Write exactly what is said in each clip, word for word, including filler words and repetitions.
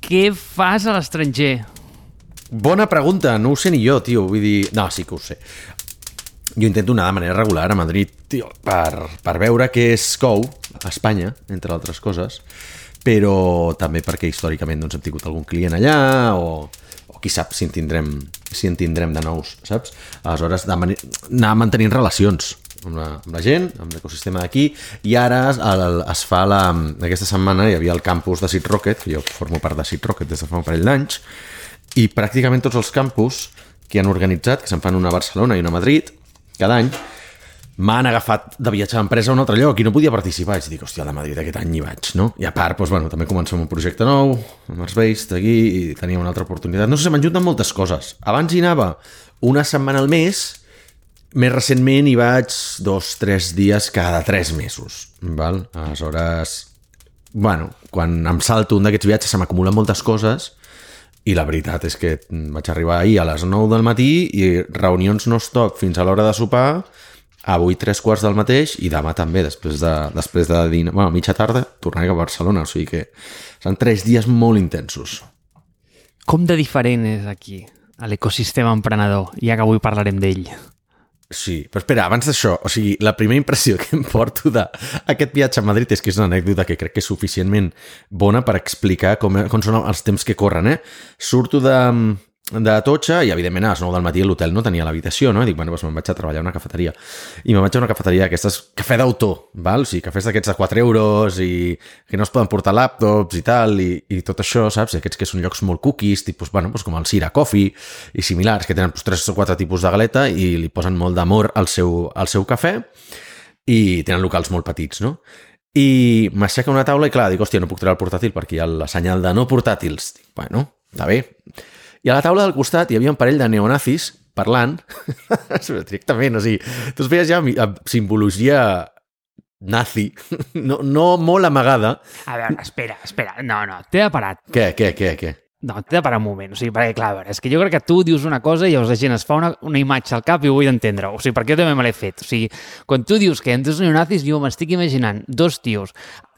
què fas a l'estranger? Bona pregunta, no ho sé ni jo, tio. Vull dir... No, sí que ho sé. Jo intento anar de manera regular a Madrid, tio, per, per veure què es cou a Espanya, entre altres coses, però també perquè històricament doncs, hem tingut algun client allà o, o qui sap si en tindrem, si en tindrem de nous, saps? Aleshores, de anar mantenint relacions amb la, amb la gent, amb l'ecosistema d'aquí, i ara el, es fa la... Aquesta setmana hi havia el campus de Seed Rocket, que jo formo part de Seed Rocket des de fa un parell d'anys, i pràcticament tots els campus que han organitzat, que se'n fan una a Barcelona i una a Madrid, cada any, m'han agafat de viatjar a empresa a un altre lloc i no podia participar. I dic, hòstia, de Madrid aquest any hi vaig, no? I a part, doncs, bueno, també comencem un projecte nou, amb els Based, aquí, i tenia una altra oportunitat. No sé, m'han juntat moltes coses. Abans hi anava una setmana al mes, més recentment hi vaig dos, tres dies cada tres mesos, val? Aleshores, bueno, quan em salto un d'aquests viatges se m'acumulen moltes coses i la veritat és que vaig arribar ahir a les nou del matí i reunions no stop fins a l'hora de sopar, avui tres quarts del mateix i demà també, després de, després de dinar, bueno, mitja tarda, tornaré a Barcelona, o sigui que són tres dies molt intensos. Com de diferent és aquí, a l'ecosistema emprenedor, ja que avui parlarem d'ell? Sí, però espera, abans d'això, o sigui, la primera impressió que em porto d'aquest viatge a Madrid és que és una anècdota que crec que és suficientment bona per explicar com, com són els temps que corren, eh? Surto de, de Totxa i, evidentment, a les nou del matí l'hotel no tenia l'habitació, no? I dic, bueno, doncs me'n vaig a treballar a una cafeteria. I me'n vaig a una cafeteria d'aquestes, cafè d'autor, val? O sigui, cafès d'aquests de quatre euros i que no es poden portar laptops i tal, i, i tot això, saps? I aquests que són llocs molt cookies, tipus, bueno, doncs com el Sira Coffee i similars, que tenen doncs, tres o quatre tipus de galeta i li posen molt d'amor al seu, al seu cafè i tenen locals molt petits, no? I m'aixeca una taula i, clar, dic, hòstia, no puc treure el portàtil perquè hi ha la senyal de no portàtils. Dic, bueno, està bé. I a la taula del costat hi havia un parell de neonazis parlant, directament, o sigui, tu es veies ja amb simbologia nazi, no, no molt amagada. A veure, espera, espera, no, no, t'he de parar. Què, què, què, què? No, t'he de parar un moment, o sigui, perquè, clar, a veure, és que jo crec que tu dius una cosa i llavors la gent es fa una, una imatge al cap i ho vull entendre, o sigui, perquè jo també me l'he fet, o sigui, quan tu dius que hi ha dos neonazis, jo m'estic imaginant dos tios,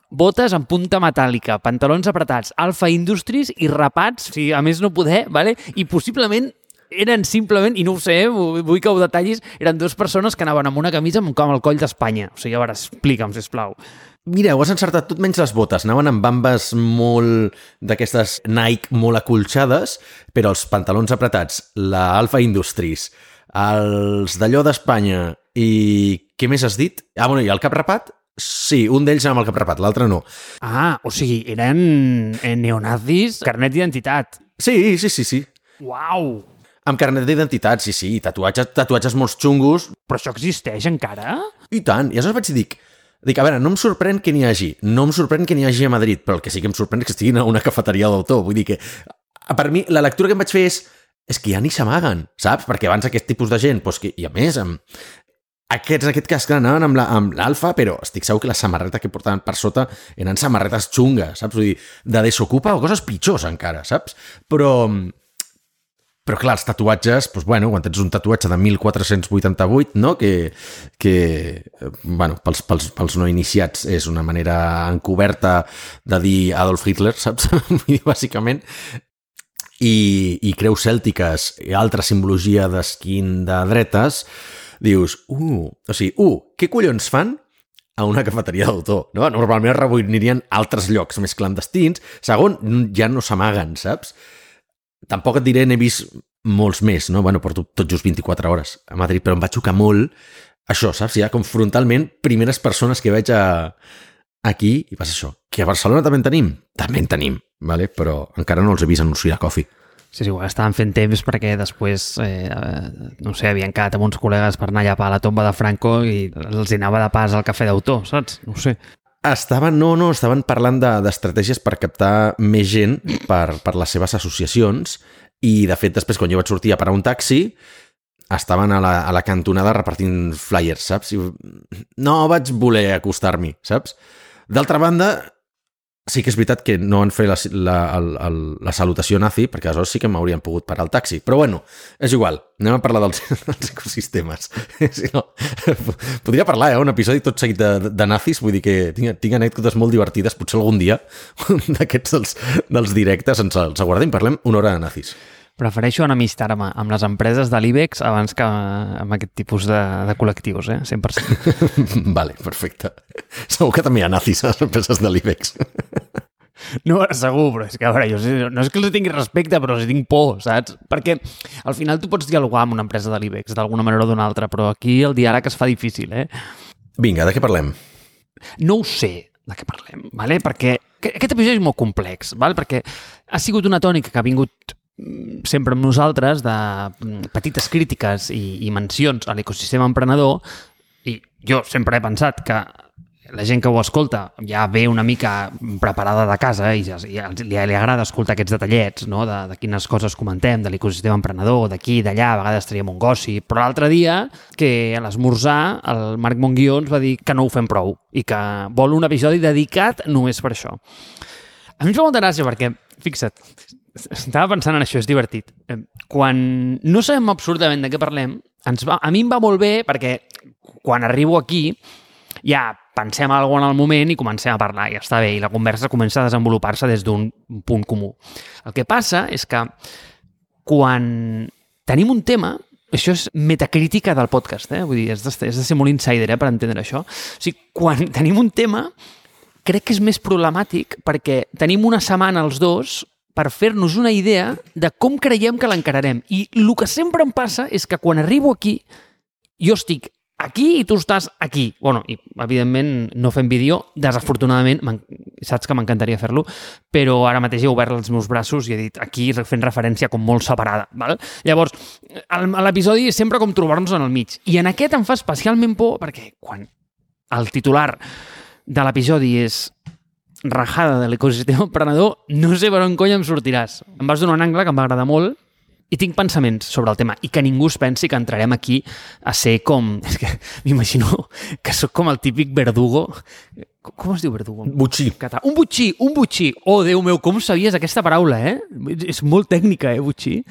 botes amb punta metàl·lica, pantalons apretats, Alpha Industries i rapats, o sigui, a més no poder, vale? I possiblement eren simplement, i no ho sé, vull que ho detallis, eren dues persones que anaven amb una camisa amb el coll d'Espanya. O sigui, a veure, explica'm, sisplau. Mira, ho has encertat tot menys les botes. Anaven amb bambes molt d'aquestes Nike molt acolxades, però els pantalons apretats, la Alpha Industries, els d'allò d'Espanya i... Què més has dit? Ah, bueno, i el cap rapat? Sí, un d'ells amb el cap rapat, l'altre no. Ah, o sigui, eren neonazis, carnet d'identitat. Sí, sí, sí, sí. Uau! Amb carnet d'identitat, sí, sí, tatuatges, tatuatges molt xungos. Però això existeix encara? I tant, i aleshores vaig dir, dic, dic, a veure, no em sorprèn que n'hi hagi, no em sorprèn que n'hi hagi a Madrid, però el que sí que em sorprèn és que estiguin a una cafeteria d'autor. Vull dir que, per mi, la lectura que em vaig fer és, és que ja ni s'amaguen, saps? Perquè abans aquest tipus de gent, doncs que, i a més, amb... Aquests, en aquest cas, clar, anaven amb, la, amb l'Alfa, però estic segur que la samarreta que portaven per sota eren samarretes xungues, saps? Vull dir, de desocupa o coses pitjors encara, saps? Però, però clar, els tatuatges, doncs, bueno, quan tens un tatuatge de mil quatre-cents vuitanta-vuit, no? Que, que bueno, pels, pels, pels no iniciats és una manera encoberta de dir Adolf Hitler, saps? Bàsicament. I, i creus cèltiques i altra simbologia d'esquin de dretes, dius, uh, o sigui, uh, què collons fan a una cafeteria d'autor? No? Normalment es reunirien altres llocs més clandestins. Segon, ja no s'amaguen, saps? Tampoc et diré, n'he vist molts més, no? Bueno, porto tot just vint-i-quatre hores a Madrid, però em va xocar molt això, saps? Ja com frontalment, primeres persones que veig a... aquí, i passa això. Que a Barcelona també en tenim? També en tenim, vale? Però encara no els he vist anunciar Coffee. Sí, sí, estaven fent temps perquè després, eh, no sé, havien quedat amb uns col·legues per anar allà a la tomba de Franco i els anava de pas al cafè d'autor, saps? No ho sé. Estaven, no, no, estaven parlant de, d'estratègies per captar més gent per, per les seves associacions i, de fet, després, quan jo vaig sortir a parar un taxi, estaven a la, a la cantonada repartint flyers, saps? I no vaig voler acostar-m'hi, saps? D'altra banda, sí que és veritat que no han fet la, la, la, la salutació nazi, perquè aleshores sí que m'haurien pogut parar el taxi. Però bueno, és igual, anem a parlar dels, dels ecosistemes. Si no, podria parlar, eh, un episodi tot seguit de, de nazis, vull dir que tinc, tinc anècdotes molt divertides, potser algun dia d'aquests dels, dels directes ens els aguardem, parlem una hora de nazis. Prefereixo enemistar-me amb les empreses de l'I B E X abans que amb aquest tipus de, de col·lectius, eh? cent per cent. Vale, perfecte. Segur que també hi ha nazis a les empreses de l'I B E X. No, segur, però és que, a veure, jo no és que els tingui respecte, però els tinc por, saps? Perquè al final tu pots dialogar amb una empresa de l'I B E X d'alguna manera o d'una altra, però aquí el diàleg es fa difícil, eh? Vinga, de què parlem? No ho sé de què parlem, vale? Perquè aquest episodi és molt complex, vale? Perquè ha sigut una tònica que ha vingut sempre amb nosaltres de petites crítiques i, i mencions a l'ecosistema emprenedor, i jo sempre he pensat que la gent que ho escolta ja ve una mica preparada de casa i, ja, i li, li agrada escoltar aquests detallets, no? de, de quines coses comentem, de l'ecosistema emprenedor, d'aquí, d'allà, a vegades traiem un gossip, però l'altre dia, que a l'esmorzar, el Marc Monguió ens va dir que no ho fem prou i que vol un episodi dedicat només per això. A mi em fa molta gràcia perquè, fixa't, estava pensant en això, és divertit. Quan no sabem absolutament de què parlem, ens va, a mi em va molt bé perquè quan arribo aquí ja pensem en alguna cosa en el moment i comencem a parlar, i està bé, i la conversa comença a desenvolupar-se des d'un punt comú. El que passa és que quan tenim un tema, això és metacrítica del podcast, eh? Vull dir, és de, és de ser molt insider eh, per entendre això. O sigui, quan tenim un tema, crec que és més problemàtic perquè tenim una setmana els dos per fer-nos una idea de com creiem que l'encararem. I el que sempre em passa és que quan arribo aquí, jo estic aquí i tu estàs aquí. Bueno, i evidentment no fem vídeo, desafortunadament, saps que m'encantaria fer-lo, però ara mateix he obert els meus braços i he dit aquí fent referència com molt separada. Val? Llavors, l'episodi és sempre com trobar-nos en el mig. I en aquest em fa especialment por perquè quan el titular de l'episodi és rajada de l'ecosistema emprenedor, no sé per on cony em sortiràs. Em vas donar un angle que em va agradar molt i tinc pensaments sobre el tema i que ningú es pensi que entrarem aquí a ser com... És que m'imagino que sóc com el típic verdugo. Com es diu verdugo? Butxí. Un butxí, un butxí. Oh, Déu meu, com sabies aquesta paraula, eh? És molt tècnica, eh, butxí?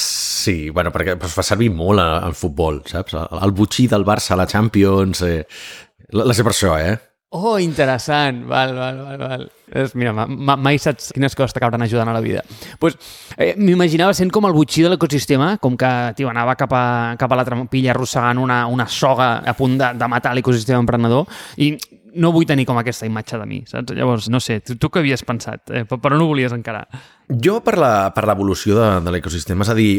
Sí, bueno, perquè es fa servir molt en futbol, saps? El butxí del Barça a la Champions... Eh... La sé per això, eh? Oh, interessant. Val, val, val, val. És, mira, ma, mai saps quines coses t'acabaran ajudant a la vida. Pues, eh, m'imaginava sent com el butxí de l'ecosistema, com que tio, anava cap a, cap a la trampilla arrossegant una, una soga a punt de, de matar l'ecosistema emprenedor i no vull tenir com aquesta imatge de mi, saps? Llavors, no sé, tu, tu què havies pensat? Eh, per, per on ho volies encarar? Jo per la, per l'evolució de, de l'ecosistema, és a dir,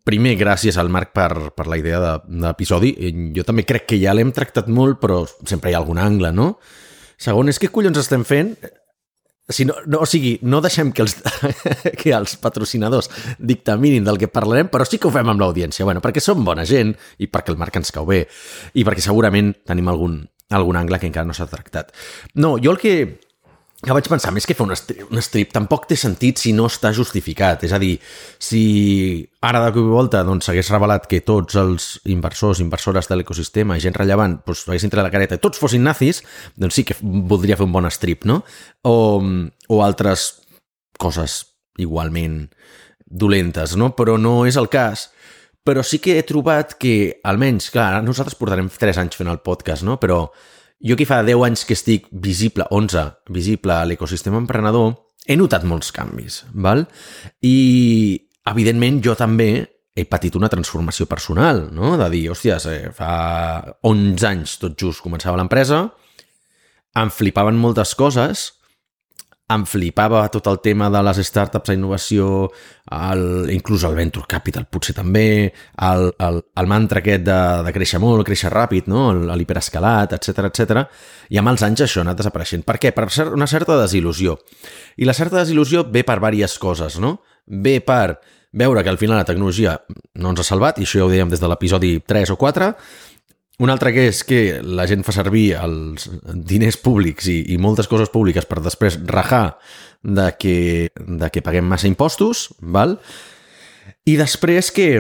primer, gràcies al Marc per, per la idea de, de l'episodi. Jo també crec que ja l'hem tractat molt, però sempre hi ha algun angle, no? Segon, és què collons estem fent? Si no, no, o sigui, no deixem que els, que els patrocinadors dictaminin del que parlarem, però sí que ho fem amb l'audiència. Bueno, perquè som bona gent i perquè el Marc ens cau bé i perquè segurament tenim algun, algun angle que encara no s'ha tractat. No, jo el que... que vaig pensar, més que fer un strip, un strip tampoc té sentit si no està justificat. És a dir, si ara de cop i volta doncs, s'hagués revelat que tots els inversors, inversores de l'ecosistema i gent rellevant doncs, haguessin tret la careta i tots fossin nazis, doncs sí que voldria fer un bon strip, no? O, o altres coses igualment dolentes, no? Però no és el cas. Però sí que he trobat que, almenys, clar, nosaltres portarem tres anys fent el podcast, no? Però jo que fa deu anys que estic visible, onze, visible a l'ecosistema emprenedor, he notat molts canvis, val? I, evidentment, jo també he patit una transformació personal, no? De dir, hòsties, eh, fa onze anys tot just començava l'empresa, em flipaven moltes coses, em flipava tot el tema de les startups, la innovació, el, inclús el venture capital potser també, el, el, el mantra aquest de, de créixer molt, créixer ràpid, no? L'hiperescalat, etcètera, etcètera. I amb els anys això ha anat desapareixent. Per què? Per una certa desil·lusió. I la certa desil·lusió ve per diverses coses, no? Ve per veure que al final la tecnologia no ens ha salvat, i això ja ho dèiem des de l'episodi tres o quatre. Un altre que és que la gent fa servir els diners públics i, i moltes coses públiques per després rajar de que, de que paguem massa impostos, val? I després que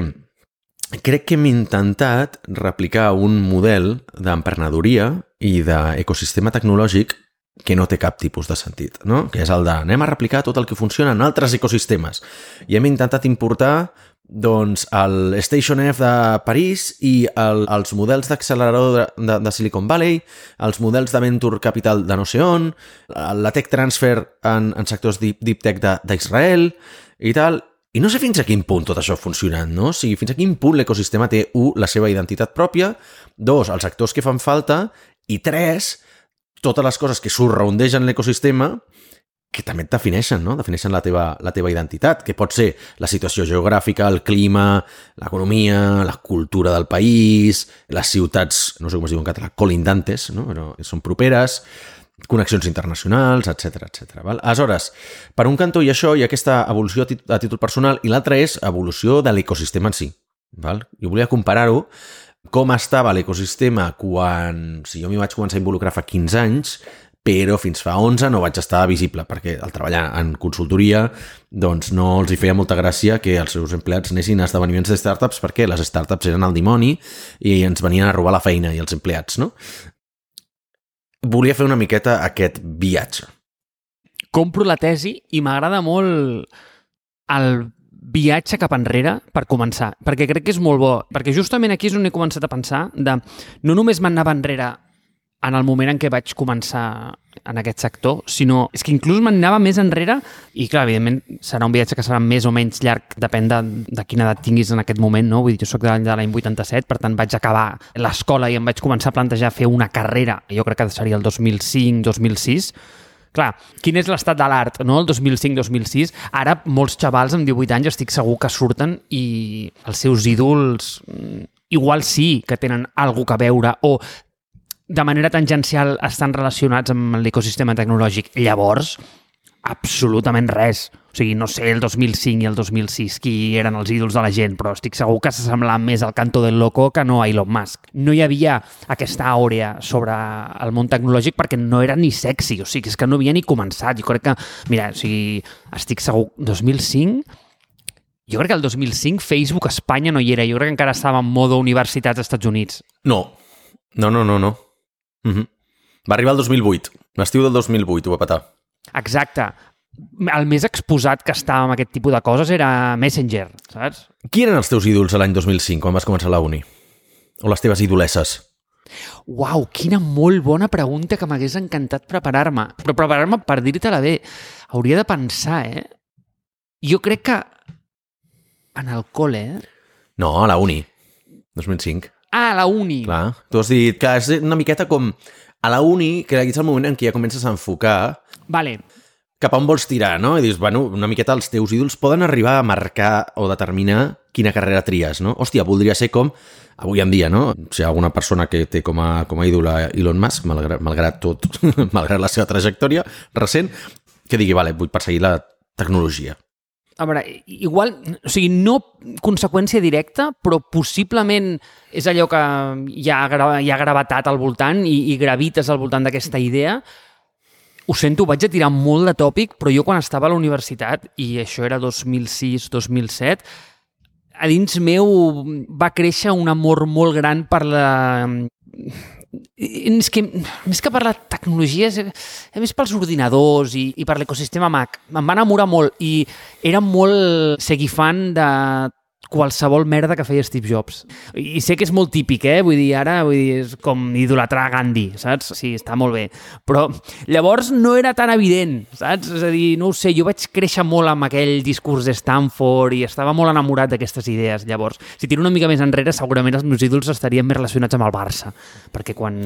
crec que hem intentat replicar un model d'emprenedoria i d'ecosistema tecnològic que no té cap tipus de sentit, no? Que és el de anem a replicar tot el que funciona en altres ecosistemes. I hem intentat importar doncs, el Station F de París i el, els models d'accelerador de, de, de Silicon Valley, els models de Venture Capital de no sé on, la Tech Transfer en, en sectors deep, deep tech d'Israel i tal. I no sé fins a quin punt tot això ha funcionat, no? O sigui, fins a quin punt l'ecosistema té, u, la seva identitat pròpia, dos, els actors que fan falta, i tres, totes les coses que surroundegen l'ecosistema que també et defineixen, no? Defineixen la teva, la teva identitat, que pot ser la situació geogràfica, el clima, l'economia, la cultura del país, les ciutats, no sé com es diu en català, colindantes, no? Però són properes, connexions internacionals, etcètera, etcètera. Val? Aleshores, per un cantó hi ha això, hi ha aquesta evolució a, tit a títol personal, i l'altra és evolució de l'ecosistema en si. Val? Jo volia comparar-ho com estava l'ecosistema quan... Si jo m'hi vaig començar a involucrar fa quinze anys, però fins fa onze no vaig estar visible, perquè al treballar en consultoria doncs no els hi feia molta gràcia que els seus empleats anessin a esdeveniments de startups, perquè les startups eren el dimoni i ens venien a robar la feina i els empleats, no? Volia fer una miqueta aquest viatge. Compro la tesi i m'agrada molt el viatge cap enrere per començar, perquè crec que és molt bo, perquè justament aquí és on he començat a pensar de no només m'anava enrere en el moment en què vaig començar en aquest sector, sinó és que inclús m'anava més enrere i clar, evidentment serà un viatge que serà més o menys llarg, depèn de, de quina edat tinguis en aquest moment, no? Vull dir, jo soc de l'any vuitanta-set, per tant vaig acabar l'escola i em vaig començar a plantejar fer una carrera, jo crec que seria el dos mil cinc dos mil sis. Clar, quin és l'estat de l'art, no? El dos mil cinc dos mil sis. Ara molts xavals amb divuit anys estic segur que surten i els seus ídols igual sí que tenen alguna cosa a veure o de manera tangencial estan relacionats amb l'ecosistema tecnològic. Llavors, absolutament res. O sigui, no sé el dos mil cinc i el dos mil sis qui eren els ídols de la gent, però estic segur que s'assemblaven més al Canto del Loco que no a Elon Musk. No hi havia aquesta àurea sobre el món tecnològic perquè no era ni sexy, o sigui, és que no havia ni començat. Jo crec que, mira, o sigui, estic segur, dos mil cinc... Jo crec que el dos mil cinc Facebook a Espanya no hi era, jo crec que encara estava en modo universitats als Estats Units. No, no, no, no, no. Uh-huh. Va arribar el dos mil vuit, l'estiu del dos mil vuit, ho va petar. Exacte. El més exposat que estava amb aquest tipus de coses era Messenger, saps? Qui eren els teus ídols l'any dos mil cinc, quan vas començar la uni? O les teves idolesses? Uau, quina molt bona pregunta que m'hagués encantat preparar-me. Però preparar-me per dir-te-la bé. Hauria de pensar, eh? Jo crec que en el col·le, eh? No, a la uni. dos mil cinc. Ah, a la uni. Clar, tu has dit que és una miqueta com a la uni, que és el moment en què ja comences a enfocar vale. cap a on vols tirar, no? I dius, bueno, una miqueta els teus ídols poden arribar a marcar o determinar quina carrera tries, no? Hòstia, voldria ser com avui en dia, no? Si hi ha alguna persona que té com a, com a ídol a Elon Musk, malgrat, malgrat tot, malgrat la seva trajectòria recent, que digui, vale, vull perseguir la tecnologia. A veure, igual, o sigui, no conseqüència directa, però possiblement és allò que hi ha, hi ha gravetat al voltant i, i gravites al voltant d'aquesta idea. Ho sento, vaig a tirar molt de tòpic, però jo quan estava a la universitat, i això era dos mil sis dos mil set, a dins meu va créixer un amor molt gran per la... És que, més que per la tecnologia, és, és més pels ordinadors i, i per l'ecosistema Mac. Em va enamorar molt i era molt seguir fan de qualsevol merda que feia Steve Jobs. I sé que és molt típic, eh? Vull dir, ara vull dir, és com idolatrar Gandhi, saps? Sí, està molt bé. Però llavors no era tan evident, saps? És a dir, no ho sé, jo vaig créixer molt amb aquell discurs de Stanford i estava molt enamorat d'aquestes idees. Llavors, si tiro una mica més enrere, segurament els meus ídols estarien més relacionats amb el Barça. Perquè quan...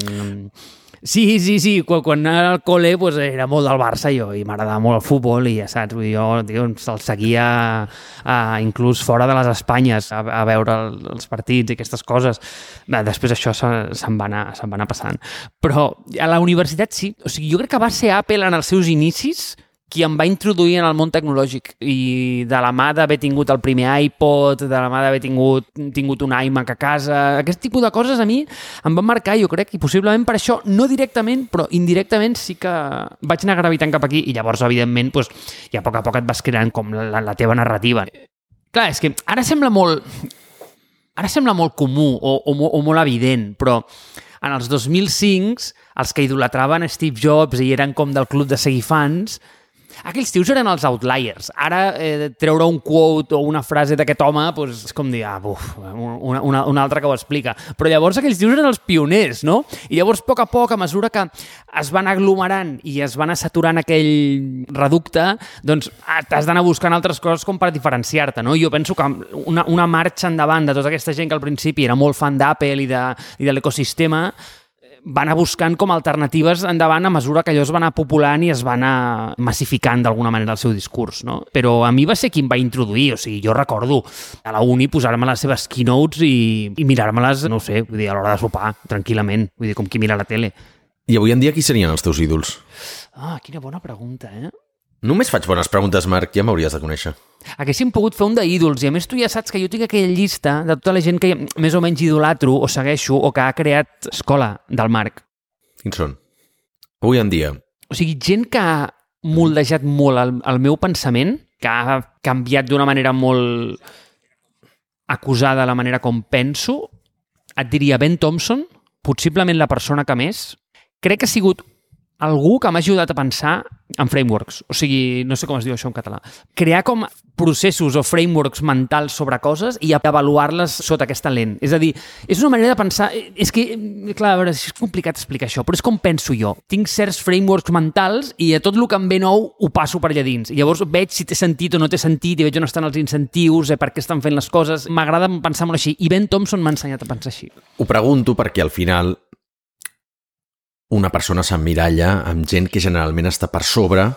Sí, sí, sí, quan, quan anava al col·le pues, era molt del Barça jo i m'agradava molt el futbol i ja saps, vull dir, jo tio, se'l seguia a, inclús fora de les Espanyes a, a veure el, els partits i aquestes coses. Després això se, se'n va anar, se'n va anar passant. Però a la universitat sí, o sigui, jo crec que va ser Apple en els seus inicis qui em va introduir en el món tecnològic i de la mà d'haver tingut el primer iPod, de la mà d'haver tingut, tingut un iMac a casa, aquest tipus de coses a mi em van marcar, jo crec, i possiblement per això, no directament, però indirectament sí que vaig anar gravitant cap aquí i llavors, evidentment, doncs, ja a poc a poc et vas creant com la, la teva narrativa. Clar, és que ara sembla molt... Ara sembla molt comú o, o, o molt evident, però en els dos mil cinc, els que idolatraven Steve Jobs i eren com del club de seguir fans, aquells tios eren els outliers. Ara, eh, treure un quote o una frase d'aquest home, doncs, és com dir, ah, buf, una, una, una altra que ho explica. Però llavors aquells tios eren els pioners, no? I llavors, a poc a poc, a mesura que es van aglomerant i es van saturant aquell reducte, doncs t'has d'anar buscant altres coses com per diferenciar-te, no? Jo penso que una, una marxa endavant de tota aquesta gent que al principi era molt fan d'Apple i de, i de l'ecosistema, va anar buscant com alternatives endavant a mesura que allò es va anar populant i es va anar massificant d'alguna manera el seu discurs, no? Però a mi va ser qui em va introduir, o sigui, jo recordo a la uni posar-me les seves keynotes i, i mirar-me-les, no ho sé, vull dir, a l'hora de sopar, tranquil·lament, vull dir, com qui mira la tele. I avui en dia qui serien els teus ídols? Ah, quina bona pregunta, eh? Només faig bones preguntes, Marc, ja m'hauries de conèixer. Haguéssim pogut fer un d'ídols, i a més tu ja saps que jo tinc aquella llista de tota la gent que més o menys idolatro o segueixo o que ha creat escola del Marc. Quins són? Avui en dia. O sigui, gent que ha moldejat molt el, el meu pensament, que ha canviat d'una manera molt acusada la manera com penso, et diria Ben Thompson, possiblement la persona que més. Crec que ha sigut algú que m'ha ajudat a pensar en frameworks. O sigui, no sé com es diu això en català. Crear com processos o frameworks mentals sobre coses i avaluar-les sota aquesta lent. És a dir, és una manera de pensar... És que, clar, a veure, és complicat explicar això, però és com penso jo. Tinc certs frameworks mentals i a tot el que em ve nou ho passo per allà dins. I llavors veig si té sentit o no té sentit i veig on estan els incentius, eh, per què estan fent les coses. M'agrada pensar molt així. I Ben Thompson m'ha ensenyat a pensar així. Ho pregunto perquè al final una persona s'emmiralla amb gent que generalment està per sobre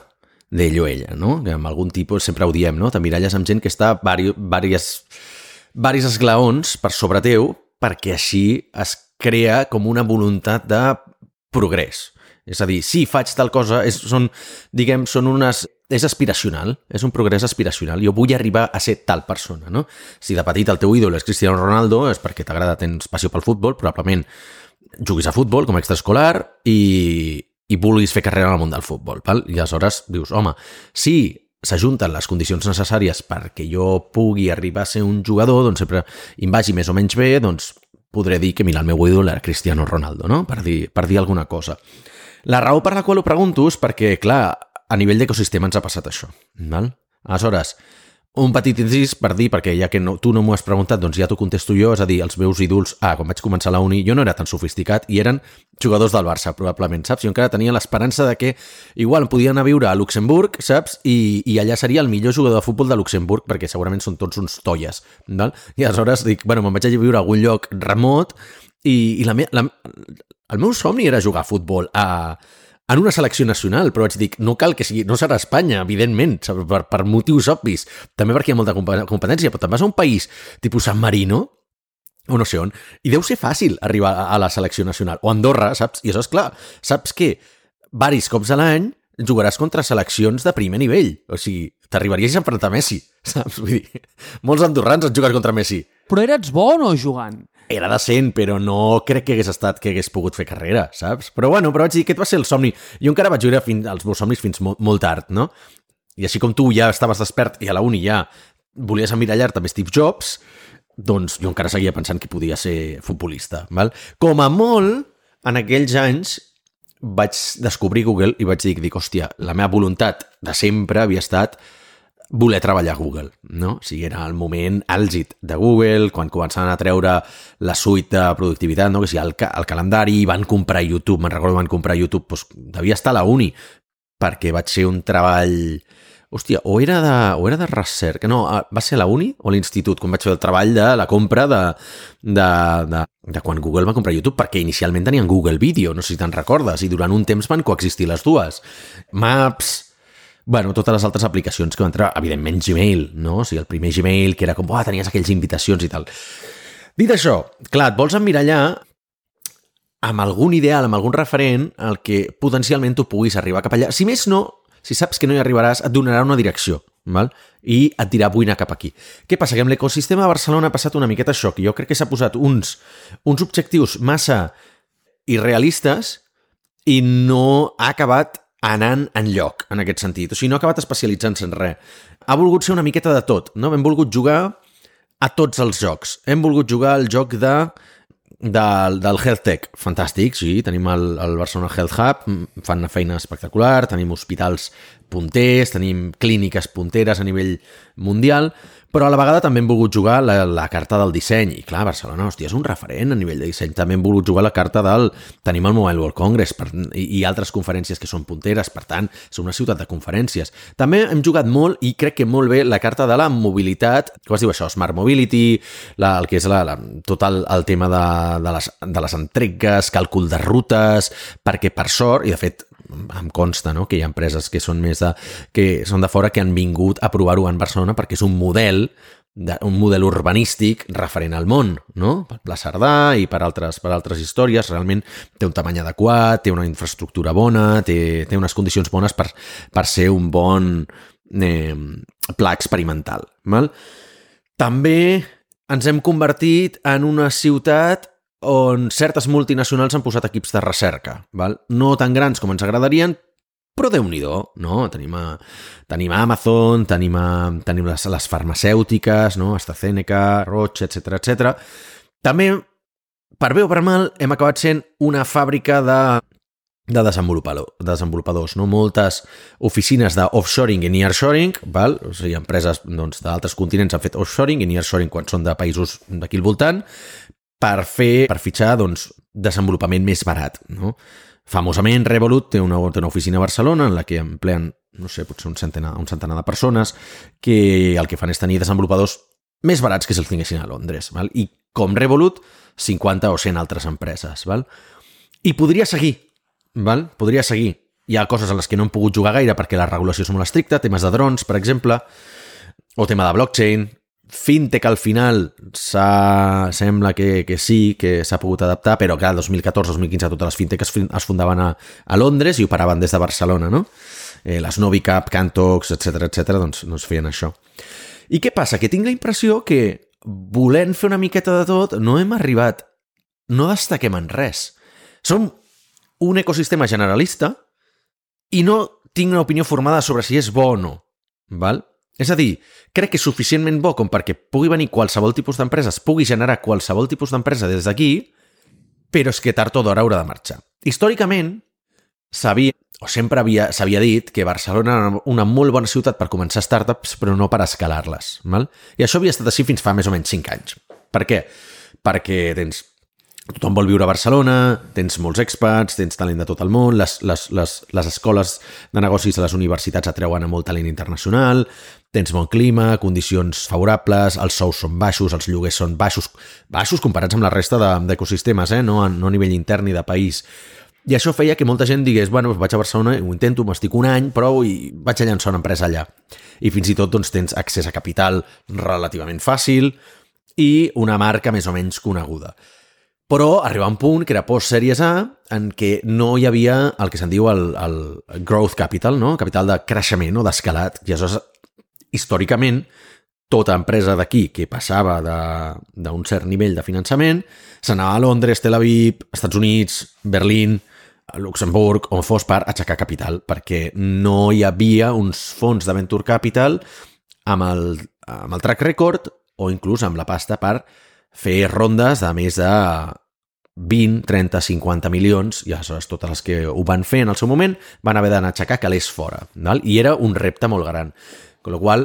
d'ell o ella, no? Que amb algun tipus, sempre ho diem, no? T'emmiralles amb gent que està diversos, diversos esglaons per sobre teu perquè així es crea com una voluntat de progrés. És a dir, si faig tal cosa, és, són, diguem, són unes... És aspiracional, és un progrés aspiracional. Jo vull arribar a ser tal persona, no? Si de petit el teu ídol és Cristiano Ronaldo, és perquè t'agrada, tens passió pel futbol, probablement juguis a futbol com a extraescolar i, i vulguis fer carrera en el món del futbol. Val? I aleshores dius, home, si s'ajunten les condicions necessàries perquè jo pugui arribar a ser un jugador, doncs sempre em vagi més o menys bé, doncs podré dir que, mira, el meu ídol era Cristiano Ronaldo, no? Per dir, per dir alguna cosa. La raó per la qual ho pregunto és perquè, clar, a nivell d'ecosistema ens ha passat això. Val? Aleshores, un petit incís per dir, perquè ja que no, tu no m'ho has preguntat, doncs ja t'ho contesto jo, és a dir, els meus ídols, ah, quan vaig començar a la uni, jo no era tan sofisticat i eren jugadors del Barça, probablement, saps? Jo encara tenia l'esperança de que igual em podien anar a viure a Luxemburg, saps? I, i allà seria el millor jugador de futbol de Luxemburg, perquè segurament són tots uns tolles, val? I aleshores dic, bueno, me'n vaig a viure a algun lloc remot i, i la me, la, el meu somni era jugar a futbol a... en una selecció nacional, però vaig dir, no cal que sigui, no serà Espanya, evidentment, per, per motius obvis, també perquè hi ha molta competència, però te'n vas a un país tipus San Marino, o no sé on, i deu ser fàcil arribar a la selecció nacional, o Andorra, saps? I això és clar, saps que varis cops a l'any jugaràs contra seleccions de primer nivell, o sigui, t'arribaries a enfrontar Messi, saps? Vull dir, molts andorrans han jugat contra Messi. Però eres bo o no jugant? Era decent, però no crec que hagués estat que hagués pogut fer carrera, saps? Però bueno, però vaig dir que aquest va ser el somni. Jo encara vaig viure fins, els meus somnis fins molt, molt tard, no? I així com tu ja estaves despert i a la uni ja volies emmirallar-te amb Steve Jobs, doncs jo encara seguia pensant que podia ser futbolista, val? Com a molt, en aquells anys vaig descobrir Google i vaig dir, dic, hòstia, la meva voluntat de sempre havia estat voler treballar a Google, no? O sigui, era el moment àlgid de Google, quan començaven a treure la suite de productivitat, no? Que sigui, el, el calendari, van comprar YouTube, me'n recordo, van comprar YouTube, doncs devia estar a la uni, perquè vaig ser un treball... Hòstia, o era de, o era de recerca, no, va ser a la uni o a l'institut, quan vaig fer el treball de la compra de, de, de, de quan Google va comprar YouTube, perquè inicialment tenien Google Video, no sé si te'n recordes, i durant un temps van coexistir les dues. Maps... Bueno, totes les altres aplicacions que van entrar, evidentment Gmail, no? O sigui, el primer Gmail, que era com, oh, tenies aquells invitacions i tal. Dit això, clar, et vols emmirallar amb algun ideal, amb algun referent, al que potencialment tu puguis arribar cap allà. Si més no, si saps que no hi arribaràs, et donarà una direcció, val? I et dirà, vull anar cap aquí. Què passa? Que amb l'ecosistema de Barcelona ha passat una miqueta això, que jo crec que s'ha posat uns, uns objectius massa irrealistes i no ha acabat anant enlloc, en aquest sentit. O sigui, no ha acabat especialitzant-se en res. Ha volgut ser una miqueta de tot, no? Hem volgut jugar a tots els jocs. Hem volgut jugar al joc de del, del Health Tech, fantàstic, sí, tenim el, el Barcelona Health Hub, fan una feina espectacular, tenim hospitals punters, tenim clíniques punteres a nivell mundial, però a la vegada també hem volgut jugar la, la carta del disseny. I clar, Barcelona, hòstia, és un referent a nivell de disseny. També hem volgut jugar la carta del... Tenim el Mobile World Congress per, i, i altres conferències que són punteres, per tant, som una ciutat de conferències. També hem jugat molt, i crec que molt bé, la carta de la mobilitat, com es diu això? Smart Mobility, la, el que és la, la, tot el, el tema de, de, les, de les entregues, càlcul de rutes, perquè per sort, i de fet em consta, no?, que hi ha empreses que són més de, que són de fora que han vingut a provar-ho en Barcelona perquè és un model de, un model urbanístic referent al món, no? Per Pla Cerdà i per altres, per altres històries. Realment té un tamany adequat, té una infraestructura bona, té, té unes condicions bones per, per ser un bon eh, pla experimental. Val? També ens hem convertit en una ciutat on certes multinacionals han posat equips de recerca, val? No tan grans com ens agradarien, però Déu-n'hi-do, no? Tenim, a, tenim a Amazon, tenim, a, tenim les, les farmacèutiques, no? AstraZeneca, Roche, etcètera, etcètera. També, per bé o per mal, hem acabat sent una fàbrica de, de desenvolupador, desenvolupadors, no? Moltes oficines d'offshoring i nearshoring, val? O sigui, empreses doncs, d'altres continents han fet offshoring i nearshoring quan són de països d'aquí al voltant, per fer, per fitxar, doncs, desenvolupament més barat, no? Famosament, Revolut té una, té una oficina a Barcelona en la que empleen, no sé, potser un centenar, un centenar de persones que el que fan és tenir desenvolupadors més barats que si els tinguessin a Londres, val? I com Revolut, cinquanta o cent altres empreses, val? I podria seguir, val? Podria seguir. Hi ha coses en les que no hem pogut jugar gaire perquè la regulació és molt estricta, temes de drons, per exemple, o tema de blockchain. Fintech al final sembla que, que sí, que s'ha pogut adaptar, però clar, dos mil catorze dos mil quinze totes les fintech es, es fundaven a, a Londres i operaven des de Barcelona, no? Eh, les Novicap, Cantox, etcètera, etcètera, doncs, doncs feien això. I què passa? Que tinc la impressió que volent fer una miqueta de tot no hem arribat, no destaquem en res. Som un ecosistema generalista i no tinc una opinió formada sobre si és bo o no, val? És a dir, crec que és suficientment bo com perquè pugui venir qualsevol tipus d'empresa, es pugui generar qualsevol tipus d'empresa des d'aquí, però és que tard o d'hora haurà de marxar. Històricament, s'havia, o sempre havia, s'havia dit que Barcelona era una molt bona ciutat per començar startups, però no per escalar-les. Val? I això havia estat així fins fa més o menys cinc anys. Per què? Perquè tens... Tothom vol viure a Barcelona, tens molts expats, tens talent de tot el món, les, les, les, les escoles de negocis de les universitats atreuen a molt talent internacional, tens bon clima, condicions favorables, els sous són baixos, els lloguers són baixos, baixos comparats amb la resta de, d'ecosistemes, eh? no, a, no a nivell intern ni de país. I això feia que molta gent digués, bueno, vaig a Barcelona, ho intento, m'estic un any, però i vaig a llançar una empresa allà. I fins i tot doncs, tens accés a capital relativament fàcil i una marca més o menys coneguda. Però arriba un punt que era post-Sèries A en què no hi havia el que se'n diu el, el growth capital, no? Capital de creixement o d'escalat. I aleshores, històricament, tota empresa d'aquí que passava d'un cert nivell de finançament s'anava a Londres, Tel Aviv, Estats Units, Berlín, Luxemburg, on fos per aixecar capital, perquè no hi havia uns fons de venture capital amb el, amb el track record o inclús amb la pasta per fer rondes de més de vint, trenta, cinquanta milions, i aleshores totes les que ho van fer en el seu moment van haver d'anar a aixecar calés fora. Val? I era un repte molt gran. Con la qual,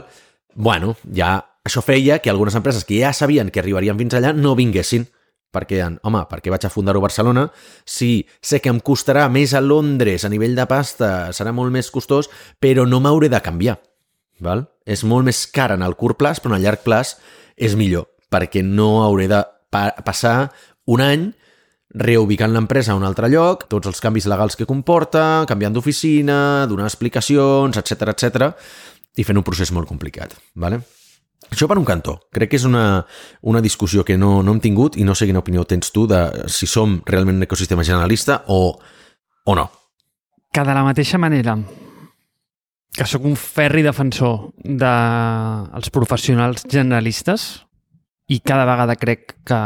bueno, ja això feia que algunes empreses que ja sabien que arribarien fins allà no vinguessin, perquè, home, per què vaig a fundar-ho a Barcelona si sé que em costarà més a Londres a nivell de pasta, serà molt més costós, però no m'hauré de canviar. Val? És molt més car en el curt plaç, però en el llarg plaç és millor, perquè no hauré de pa- passar un any reubicant l'empresa a un altre lloc, tots els canvis legals que comporta, canviant d'oficina, donar explicacions, etcètera, etcètera, i fent un procés molt complicat. Vale? Això per un cantó. Crec que és una, una discussió que no, no hem tingut i no sé quina opinió tens tu de si som realment un ecosistema generalista o, o no. Que de la mateixa manera que sóc un ferri defensor dels professionals generalistes i cada vegada crec que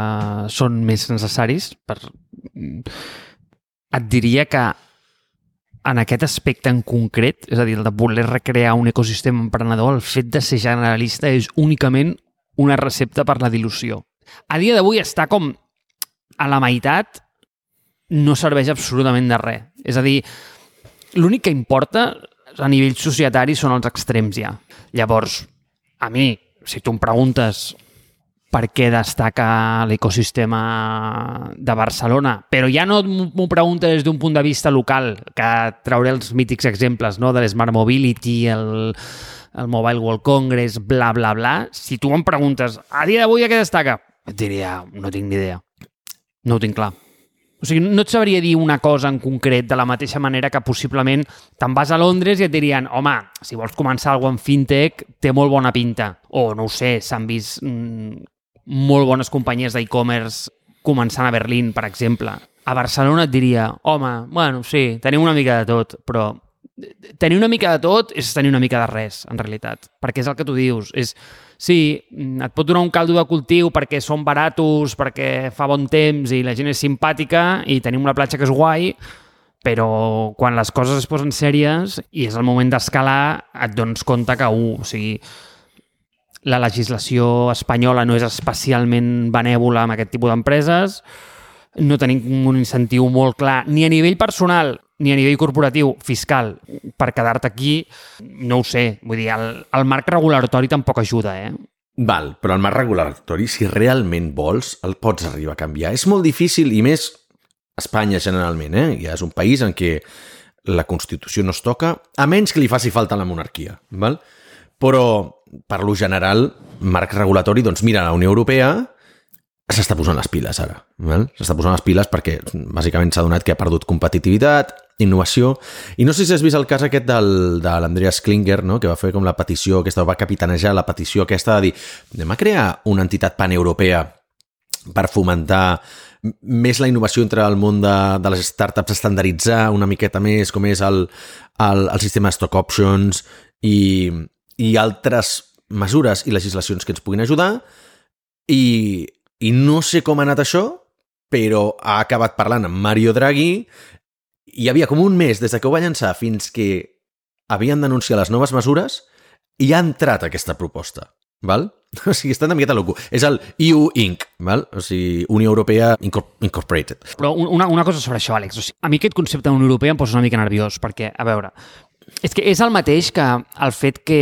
són més necessaris, per... et diria que en aquest aspecte en concret, és a dir, el de voler recrear un ecosistema emprenedor, el fet de ser generalista és únicament una recepta per la dilució. A dia d'avui està com a la meitat no serveix absolutament de res. És a dir, l'únic que importa a nivell societari són els extrems ja. Llavors, a mi, si tu em preguntes per què destaca l'ecosistema de Barcelona, però ja no m'ho preguntes des d'un punt de vista local, que trauré els mítics exemples, no? De l'Smart Mobility, el, el Mobile World Congress, bla, bla, bla. Si tu em preguntes, a dia d'avui a què destaca? Et diria, no tinc ni idea. No ho tinc clar. O sigui, no et sabria dir una cosa en concret de la mateixa manera que possiblement te'n vas a Londres i et dirien, home, si vols començar alguna cosa en fintech, té molt bona pinta. O, no ho sé, s'han vist mmm, molt bones companyies d'e-commerce començant a Berlín, per exemple. A Barcelona et diria, home, bueno, sí, tenim una mica de tot, però tenir una mica de tot és tenir una mica de res, en realitat. Perquè és el que tu dius, és... Sí, et pot donar un caldo de cultiu perquè són baratos, perquè fa bon temps i la gent és simpàtica i tenim una platja que és guai, però quan les coses es posen sèries i és el moment d'escalar, et dones compte que, uh, o sigui, la legislació espanyola no és especialment benèvola amb aquest tipus d'empreses, no tenim un incentiu molt clar ni a nivell personal ni a nivell corporatiu, fiscal, per quedar-te aquí, no ho sé. Vull dir, el, el marc regulatori tampoc ajuda, eh? Val, però el marc regulatori, si realment vols, el pots arribar a canviar. És molt difícil, i més Espanya generalment, eh? Ja és un país en què la Constitució no es toca, a menys que li faci falta la monarquia, val? Però, per lo general, marc regulatori, doncs mira, la Unió Europea s'està posant les piles ara. Val? S'està posant les piles perquè bàsicament s'ha donat que ha perdut competitivitat, innovació, i no sé si has vist el cas aquest del, de l'Andreas Klinger, no? Que va fer com la petició, aquesta va capitanejar la petició aquesta de dir, anem a crear una entitat paneuropea per fomentar més la innovació entre el món de, de les startups, estandarditzar una miqueta més com és el, el, el sistema de stock options i, i altres mesures i legislacions que ens puguin ajudar, i I no sé com ha anat això, però ha acabat parlant amb Mario Draghi. Hi havia com un mes des de que ho va llançar fins que havien d'anunciar les noves mesures i ha entrat aquesta proposta. Val? O sigui, està una miqueta loco. És el E U Incorporated. Val? O sigui, Unió Europea Incorporated. Però una, una cosa sobre això, Àlex. O sigui, a mi aquest concepte d'Unió Europea em posa una mica nerviós, perquè, a veure, és que és el mateix que el fet que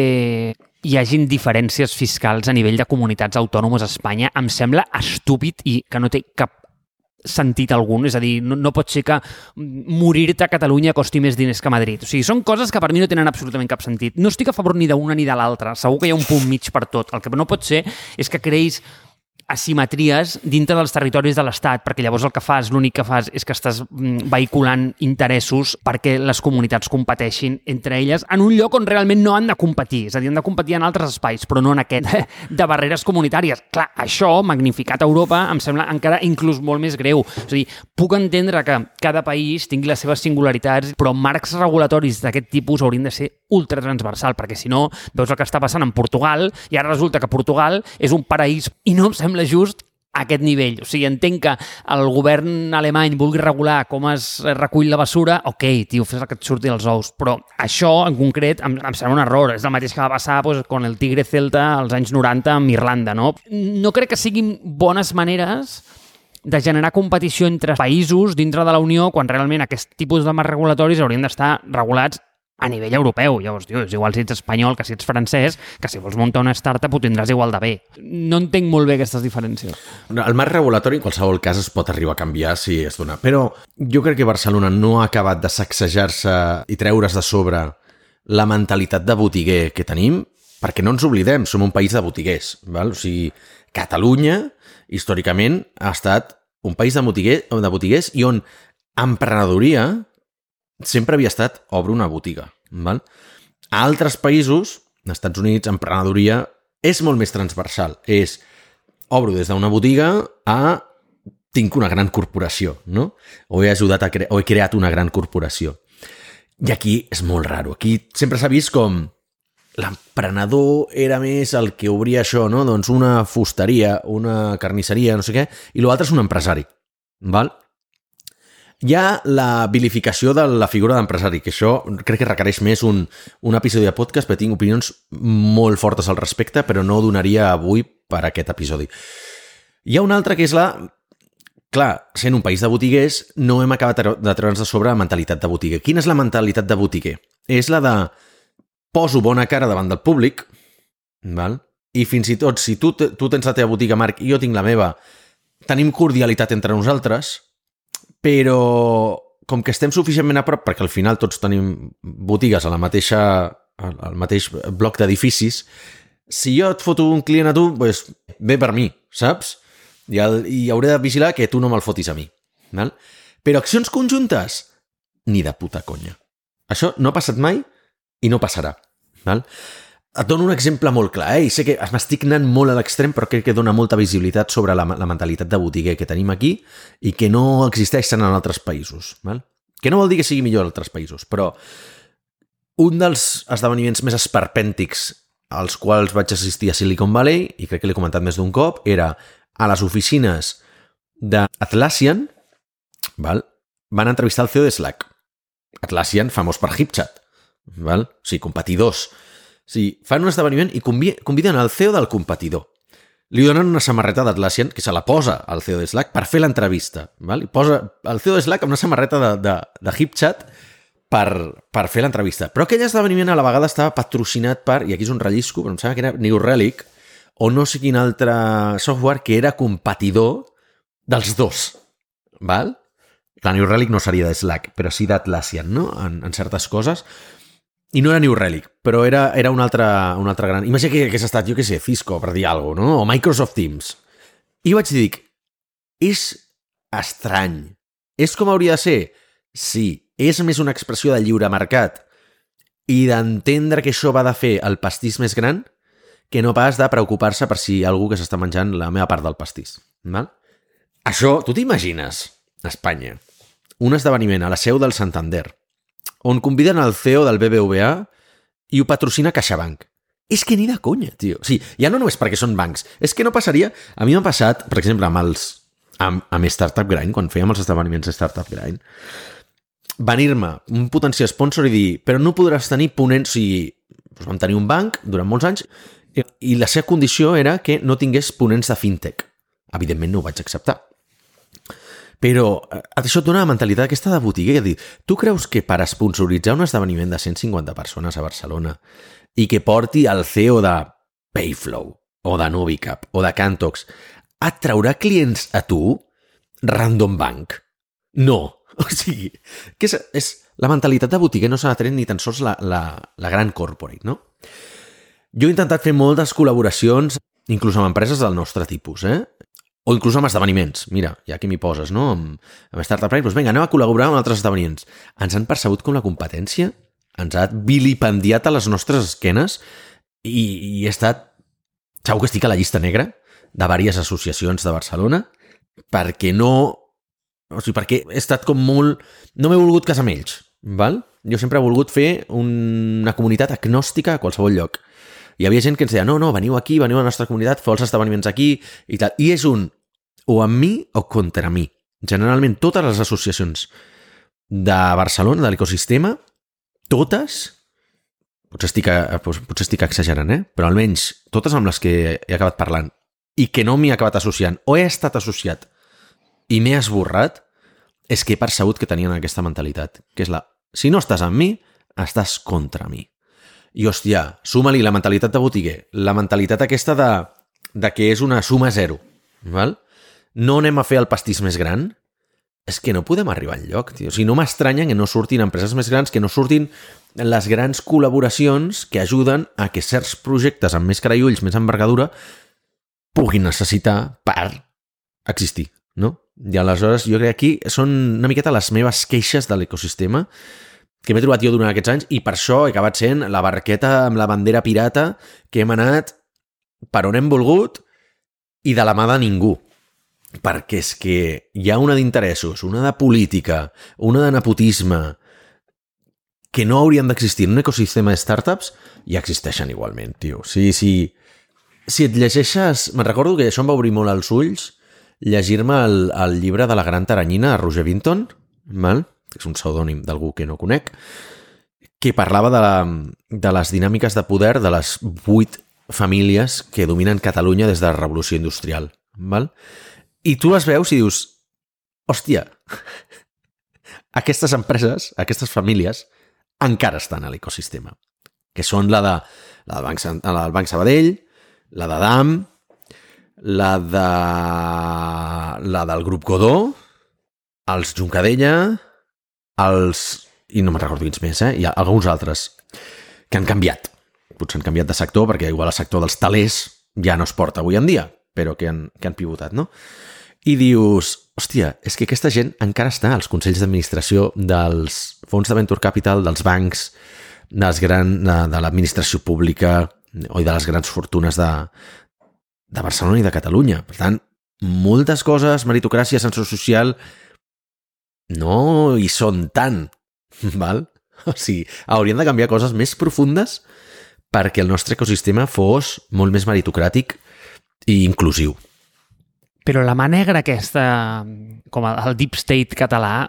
hi hagin diferències fiscals a nivell de comunitats autònomes a Espanya em sembla estúpid i que no té cap sentit algun. És a dir, no, no pot ser que morir-te a Catalunya costi més diners que a Madrid. O sigui, són coses que per mi no tenen absolutament cap sentit. No estic a favor ni d'una ni de l'altra. Segur que hi ha un punt mig per tot. El que no pot ser és que creïs asimetries dintre dels territoris de l'Estat, perquè llavors el que fas, l'únic que fas és que estàs vehiculant interessos perquè les comunitats competeixin entre elles en un lloc on realment no han de competir, és a dir, han de competir en altres espais, però no en aquest de barreres comunitàries. Clar, això, magnificat a Europa, em sembla encara inclús molt més greu. És a dir, puc entendre que cada país tingui les seves singularitats, però marcs regulatoris d'aquest tipus haurien de ser ultratransversal, perquè si no, veus el que està passant en Portugal i ara resulta que Portugal és un paraís i no em sembla just a aquest nivell. O sigui, entenc que el govern alemany vulgui regular com es recull la basura, ok, tio, fes el que et surti els ous, però això, en concret, em, em sembla un error. És el mateix que va passar pues, con el Tigre Celta als anys noranta amb Irlanda, no? No crec que siguin bones maneres de generar competició entre països dintre de la Unió quan realment aquest tipus de marcs regulatoris haurien d'estar regulats a nivell europeu. Llavors, tio, és igual si ets espanyol que si ets francès, que si vols muntar una startup ho tindràs igual de bé. No entenc molt bé aquestes diferències. El marc regulatori, en qualsevol cas, es pot arribar a canviar si es dona. Però jo crec que Barcelona no ha acabat de sacsejar-se i treure's de sobre la mentalitat de botiguer que tenim, perquè no ens oblidem, som un país de botiguers. Val? O sigui, Catalunya, històricament, ha estat un país de, botiguer, de botiguers i on emprenedoria sempre havia estat obre una botiga. Val? A altres països, als Estats Units, emprenedoria és molt més transversal. És obro des d'una botiga a tinc una gran corporació, no? O he ajudat a cre- o he creat una gran corporació. I aquí és molt raro. Aquí sempre s'ha vist com l'emprenedor era més el que obria això, no? Doncs una fusteria, una carnisseria, no sé què, i l'altre és un empresari. Val? Hi ha la vilificació de la figura d'empresari, que això crec que requereix més un, un episodi de podcast, perquè tinc opinions molt fortes al respecte, però no donaria avui per aquest episodi. Hi ha una altra que és la clar, sent un país de botiguers, no hem acabat de treure'ns de sobre la mentalitat de botiguer. Quina és la mentalitat de botiguer? És la de poso bona cara davant del públic, val? I fins i tot, si tu, tu tens la teva botiga, Marc, i jo tinc la meva, tenim cordialitat entre nosaltres, però com que estem suficientment a prop, perquè al final tots tenim botigues a la mateixa, al mateix bloc d'edificis, si jo et foto un client a tu, pues, ve per mi, saps? I, el, i hauré de vigilar que tu no me'l fotis a mi. Val? Però accions conjuntes? Ni de puta conya. Això no ha passat mai i no passarà. Val? Et dono un exemple molt clar. Eh? I sé que m'estic anant molt a l'extrem, però crec que dona molta visibilitat sobre la, la mentalitat de botiguer que tenim aquí i que no existeixen en altres països. Val? Que no vol dir que sigui millor en altres països, però un dels esdeveniments més esperpèntics als quals vaig assistir a Silicon Valley, i crec que l'he comentat més d'un cop, era a les oficines d'Atlassian, val? Van entrevistar el C E O de Slack. Atlassian, famós per HipChat. Val? O sigui, competidors. O sigui, fan un esdeveniment i conviden al C E O del competidor. Li donen una samarreta d'Atlassian que se la posa al C E O de Slack per fer l'entrevista. Val? I posa el C E O de Slack amb una samarreta de, de, de HipChat per, per fer l'entrevista. Però aquell esdeveniment a la vegada estava patrocinat per, i aquí és un rellisco, però em sembla que era New Relic, o no sé quin altre software que era competidor dels dos. Val? La New Relic no seria de Slack, però sí d'Atlassian, no? En, en certes coses. I no era New Relic, però era, era un, altre, un altre gran... Imagina que hagués estat, jo què sé, Cisco, per dir alguna cosa, no? O Microsoft Teams. I vaig dir, és estrany. És com hauria de ser? Sí. És més una expressió de lliure mercat i d'entendre que això va de fer el pastís més gran que no pas de preocupar-se per si hi ha algú que s'està menjant la meva part del pastís. Val? Això, tu t'imagines, a Espanya, un esdeveniment a la seu del Santander, on conviden el C E O del B B V A i ho patrocina CaixaBank. És que ni de conya, tio. O sigui, ja no només perquè són bancs, és que no passaria... A mi m'ha passat, per exemple, amb els amb, amb Startup Grind, quan fèiem els esdeveniments de Startup Grind, venir-me un potencial sponsor i dir, però no podràs tenir ponents... O sigui, doncs vam tenir un banc durant molts anys i la seva condició era que no tingués ponents de fintech. Evidentment no ho vaig acceptar. Però això et dona la mentalitat aquesta de botiguer. Dir, tu creus que per sponsoritzar un esdeveniment de cent cinquanta persones a Barcelona i que porti el C E O de Payflow o de Novicap o de Cantox et traurà clients a tu? Random Bank? No. O sigui, que és, és la mentalitat de botiguer no s'ha de tenir ni tan sols la, la, la gran corporate, no? Jo he intentat fer moltes col·laboracions, inclús amb empreses del nostre tipus, eh? O inclús amb esdeveniments. Mira, ja que m'hi poses, no? Amb, amb Startup Prime, doncs vinga, anem a col·laborar amb altres esdeveniments. Ens han percebut com la competència, ens ha vilipendiat a les nostres esquenes i, i he estat... Segur que estic a la llista negra de diverses associacions de Barcelona perquè no... O sigui, perquè he estat com molt... No m'he volgut casar amb ells, val? Jo sempre he volgut fer una comunitat agnòstica a qualsevol lloc. Hi havia gent que ens deia, no, no, veniu aquí, veniu a la nostra comunitat, feu els esdeveniments aquí, i tal. I és un, o amb mi o contra mi. Generalment, totes les associacions de Barcelona, de l'ecosistema, totes, potser estic, potser estic exagerant, eh? Però almenys totes amb les que he acabat parlant i que no m'hi he acabat associant, o he estat associat i m'he esborrat, és que he percebut que tenien aquesta mentalitat, que és la, si no estàs amb mi, estàs contra mi. I, hòstia, suma-li la mentalitat de botiguer, la mentalitat aquesta de, de que és una suma zero, val? No anem a fer el pastís més gran? És que no podem arribar enlloc, tio. O sigui, no m'estranya que no surtin empreses més grans, que no surtin les grans col·laboracions que ajuden a que certs projectes amb més cara i ulls, més envergadura, puguin necessitar per existir, no? I aleshores jo crec que aquí són una miqueta les meves queixes de l'ecosistema que m'he trobat jo durant aquests anys i per això he acabat sent la barqueta amb la bandera pirata que hem anat per on hem volgut i de la mà de ningú. Perquè és que hi ha una d'interessos, una de política, una de nepotisme que no haurien d'existir en un ecosistema de startups i existeixen igualment, tio. Sí, sí. Si et llegeixes... Me'n recordo que això em va obrir molt els ulls llegir-me el, el llibre de la gran taranyina de Roger Vinton, val? Que és un pseudònim d'algú que no conec, que parlava de, la, de les dinàmiques de poder de les vuit famílies que dominen Catalunya des de la Revolució Industrial. Val? I tu les veus i dius, hòstia, aquestes empreses, aquestes famílies, encara estan a l'ecosistema, que són la, de, la, del Banc, la del Banc Sabadell, la de D A M, la, de, la del Grup Godó, els Juncadella, els... i no me'n recordo quins més, eh? Hi ha alguns altres que han canviat. Potser han canviat de sector, perquè igual el sector dels talers ja no es porta avui en dia, però que han, que han pivotat, no? I dius, hòstia, és que aquesta gent encara està als consells d'administració dels fons de venture capital, dels bancs, dels gran, de, de l'administració pública o de les grans fortunes de, de Barcelona i de Catalunya. Per tant, moltes coses, meritocràcia, ascensor social, no hi són tant, val? O sigui, haurien de canviar coses més profundes perquè el nostre ecosistema fos molt més meritocràtic i inclusiu. Però la mà negra aquesta, com el deep state català,